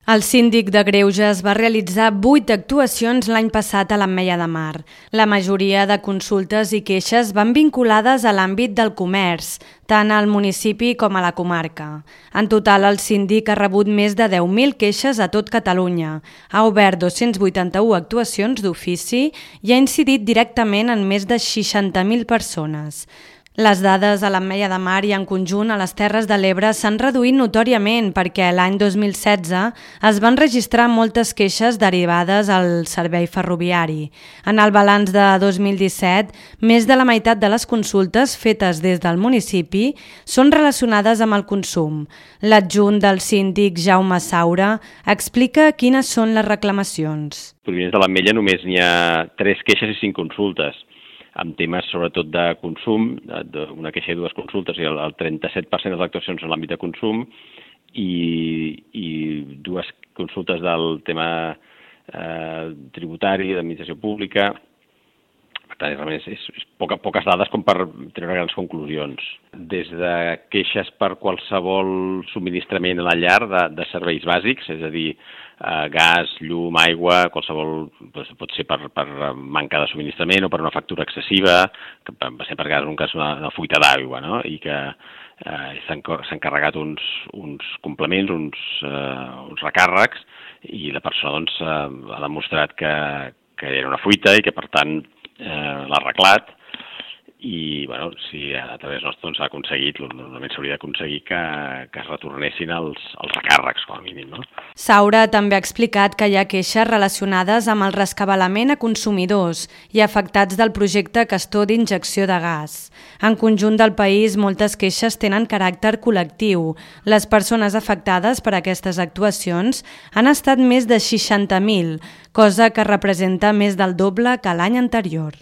El síndic de Greuges va realitzar 8 actuacions l'any passat a l'Ametlla de Mar. La majoria de consultes i queixes van vinculades a l'àmbit del comerç, tant al municipi com a la comarca. En total, el síndic ha rebut més de 10.000 queixes a tot Catalunya, ha obert 281 actuacions d'ofici i ha incidit directament en més de 60.000 persones. Les dades a l'Ametlla de Mar i en conjunt a les Terres de l'Ebre s'han reduït notòriament perquè l'any 2016 es van registrar moltes queixes derivades al servei ferroviari. En el balanç de 2017, més de la meitat de les consultes fetes des del municipi són relacionades amb el consum. L'adjunt del síndic Jaume Saura explica quines són les reclamacions. Provinents de l'Ametlla només n'hi ha 3 queixes i 5 consultes, amb temes sobretot de consum, una queixa i 2 consultes, i el 37% de les actuacions en l'àmbit de consum i 2 consultes del tema tributari, d'administració pública. Per tant, realment és poques dades com per treure grans conclusions. Des de queixes per qualsevol subministrament a la llar de serveis bàsics, és a dir, gas, llum, aigua, qualsevol, pot ser per manca de subministrament o per una factura excessiva, que va ser per cas un cas una fuita d'aigua, no? I que s'han carregat uns complements, uns recàrrecs, i la persona doncs, ha demostrat que era una fuita i que per tant l'ha arreglat. I bueno, si a través nostre s'ha aconseguit, normalment s'hauria d'aconseguir que es retornessin els recàrrecs, com a mínim, no? Saura també ha explicat que hi ha queixes relacionades amb el rescabalament a consumidors i afectats del projecte Castor d'injecció de gas. En conjunt del país, moltes queixes tenen caràcter col·lectiu. Les persones afectades per aquestes actuacions han estat més de 60.000, cosa que representa més del doble que l'any anterior.